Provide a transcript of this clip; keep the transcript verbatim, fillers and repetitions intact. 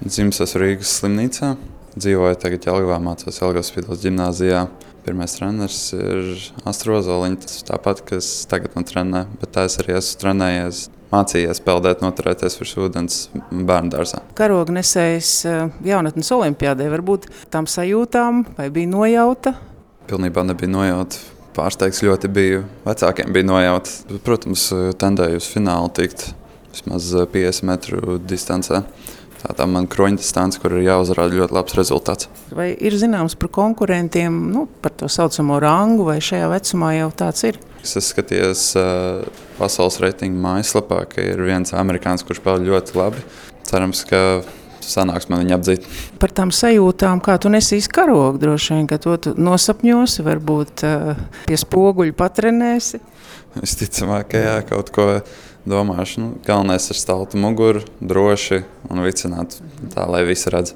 Dzimis esmu Rīgas slimnīcā. Dzīvoju tagad Jelgavā, mācos Jelgavas Vidus ģimnāzijā. Pirmais treneris ir Astra Ozoliņa, tas tāpat, kas tagad man trenē, bet tā es arī esmu trenējies, mācījies peldēt, noturēties virs ūdens bērndārzā. Karognesējs jaunatnes olimpiādē, varbūt tām sajūtām vai bija nojauta? Pilnībā nebija nojauta. Pārsteigts ļoti biju. Vecākiem bija nojauta. Protams, tendēju uz finālu tikt vismaz piecdesmit metru distancē. Tā tā man kroņa distance, kur ir jāuzrāda ļoti labs rezultāts. Vai ir zināms par konkurentiem, nu, par to saucamo rangu, vai šajā vecumā jau tāds ir? Es skatījos uh, pasaules reitingu mājaslapā, ka ir viens amerikānis, kurš peld ļoti labi. Cerams, ka sanāks man viņu apdzīt. Par tām sajūtām, kā tu nesīs karogu, droši vien, ka to tu nosapņosi, varbūt uh, pie spoguļa patrenēsi? Visticamāk, ka jā, kaut ko domāšu. Nu, galvenais ir staltu muguru, droši un vicināt tā, lai visi redz.